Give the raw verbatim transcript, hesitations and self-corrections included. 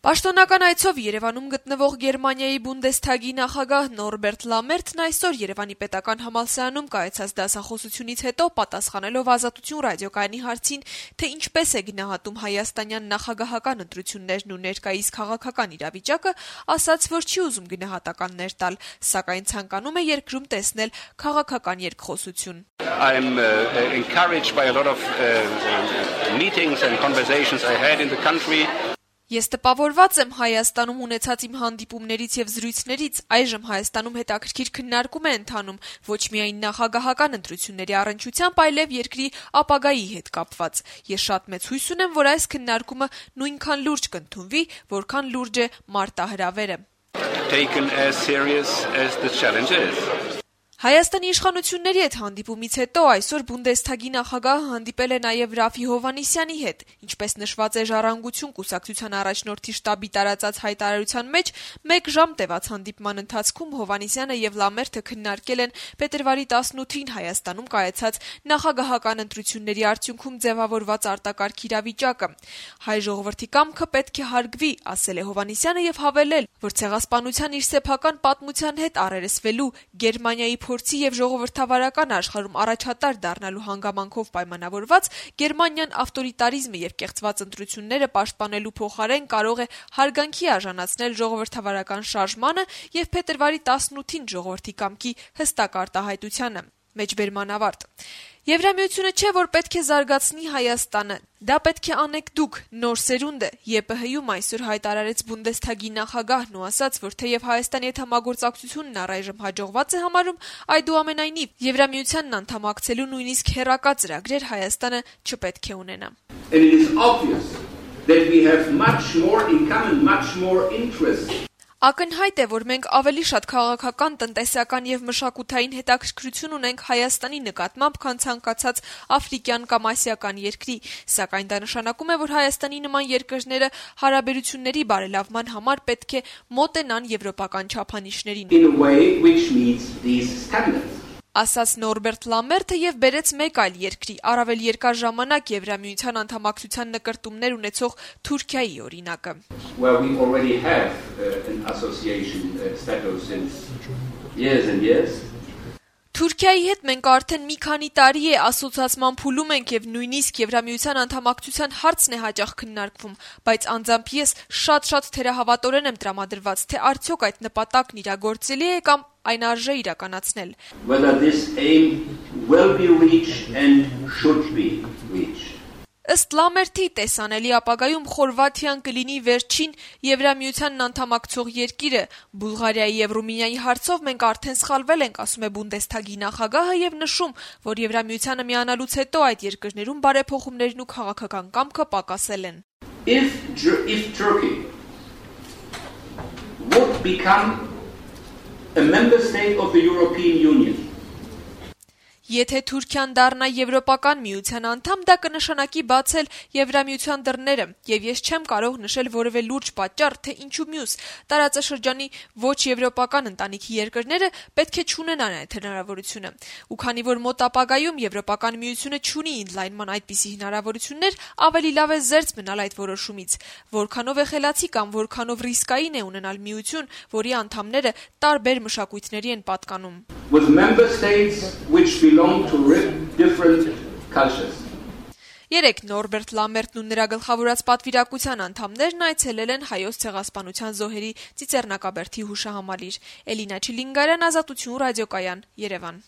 Պաշտոնական այցով Երևանում գտնվող Գերմանիայի Բունդեսթագի նախագահ Նորբերտ Լամերտն այսօր Երևանի պետական համալսարանում կայացած դասախոսությունից հետո պատասխանելով Ազատություն ռադիոկայանի հարցին, թե ինչպես է գնահատում հայաստանյան նախագահական ընտրություններն ու ներկայիս քաղաքական իրավիճակը, ասաց, որ չի ուզում գնահատականներ տալ, սակայն ցանկանում է երկրում տեսնել քաղաքական երկխոսություն. I'm uh, encouraged by a lot of uh, meetings and conversations I had in the country. Ես տպավորված եմ Հայաստանում ունեցած իմ հանդիպումներից եւ զրույցներից, այժմ Հայաստանում հետաքրքիր քննարկում է ընթանում ոչ միայն նախագահական ընտրությունների առնչությամբ, այլև երկրի ապագայի հետ կապված։ Ես շատ մեծ հույս ունեմ, որ այս քննարկումը նույնքան լուրջ կընդունվի, որքան լուրջ է մարտահրավերը։ Taken as serious as the challenge is. Հայաստանի իշխանությունների հետ հանդիպումից հետո այսօր Բունդեսթագի նախագահը հանդիպել է նաև Ռաֆի Հովհաննիսյանի հետ, ինչպես նշված է Ժառանգություն կուսակցության առաջնորդի շտաբի տարածած հայտարարության մեջ, մեկ ժամ տևած հանդիպման ընթացքում Հովհաննիսյանը եւ Լամերտը քննարկել են փետրվարի տասնութին Հայաստանում կայացած նախագահական ընտրությունների արդյունքում ձևավորված արտակարգ իրավիճակը։ Հայ ժողովրդի կամքը պետք է հարգվի, ասել է Հովհաննիսյանը եւ հավելել, որ ցեղասպանության իր սեփական պատմության հետ առերեսվելու Գերմանիայի փորձի եւ ժողովրդավարական աշխարհում առաջատար դառնալու հանգամանքով պայմանավորված Գերմանիան ավտորիտարիզմը եւ կեղծված ընտրությունները պաշտպանելու փոխարեն կարող է հարգանքի արժանացնել ժողովրդավարական շարժմանը եւ փետրվարի տասնութին ժողովրդի կամքի հստակ արտահայտությանը։ Մեջբերման ավարտ։ Եվրամիությունը չէ, որ պետք է զարգացնի Հայաստանը, դա պետք է անեք դուք, նոր սերունդը, ԵՊՀ-ում այսօր հայտարարեց Բունդեսթագի նախագահն ու ասաց, որ թեև Հայաստանի հետ համագործակցությունն առայժմ հաջողված է համարում, այդուամենայնիվ Եվրամիությանն անդամակցելու նույնիսկ հեռակա ծրագրեր Հայաստանը չպետք է ունենա։ And it is obvious that we have much more in common, much more interest. Ակնհայտ է, որ մենք ավելի շատ քաղաքական, տնտեսական եւ մշակութային հետաքրքրություն ունենք Հայաստանի նկատմամբ, քան ցանկացած աֆրիկյան կամ ասիական երկրի, սակայն դա նշանակում է, որ Հայաստանի նման երկրները հարաբերությունների բարելավման համար պետք է մոտենան եվրոպական չափանիշներին։ In a way which meets these standards. Ասաց Նորբերտ Լամերտը եւ բերեց մեկ այլ երկրի, առավել երկար ժամանակ Եվրամիության անդամակցության նկրտումներ ունեցող Թուրքիայի օրինակը։ Where we already have uh, an association uh, status since years and years. Թուրքիայի հետ մենք արդեն մի քանի տարի է ասոցիացման փուլում ենք եւ նույնիսկ Եվրամիության անդամակցության հարցն է հաճախ քննարկվում, բայց անձամբ ես շատ-շատ թերահավատորեն եմ տրամադրված, թե արդյոք այդ նպատակն իրագործելի է կամ այն արժե իրականացնել։ Whether this aim will be reached and should be reached. Ըստ Լամերտի տեսանելի ապագայում Խորվաթիան կլինի վերջին Եվրամիությանն անդամակցող երկիրը։ Բուլղարիայի եւ Ռումինիայի հարցով մենք արդեն սխալվել ենք, ասում է Բունդեսթագի նախագահը եւ նշում, որ Եվրամիությանը միանալուց հետո այդ երկրներում բարեփոխումներն ու քաղաքական կամքը պակասել են։ If if Turkey would become a member state of the European Union. Եթե Թուրքիան դառնա Եվրոպական միության անդամ, դա կնշանակի բացել Եվրամիության դռները, եւ ես չեմ կարող նշել որևէ լուրջ պատճառ, թե ինչու մյուս տարածաշրջանի ոչ եվրոպական ընտանիքի երկրները պետք է չունենան այդ հնարավորությունը։ Ու քանի որ մոտ ապագայում Եվրոպական միությունը չունի ընդլայնման այդպիսի հնարավորություններ, ավելի լավ է զերծ մնալ այդ որոշումից։ Որքանով է խելացի կամ որքանով ռիսկային է ունենալ միություն, որի անդամները տարբեր մշակույթների են պատկանում։ With member states which belong to different cultures. Երեք Նորբերտ Լամերտն ու նրա գլխավորած պատվիրակության անդամներն այցելել են հայոց ցեղասպանության զոհերի ծիծեռնակաբերդի հուշահամալիր։ Էլինա Չիլինգարյան, Ազատություն ռադիոկայան, Երևան։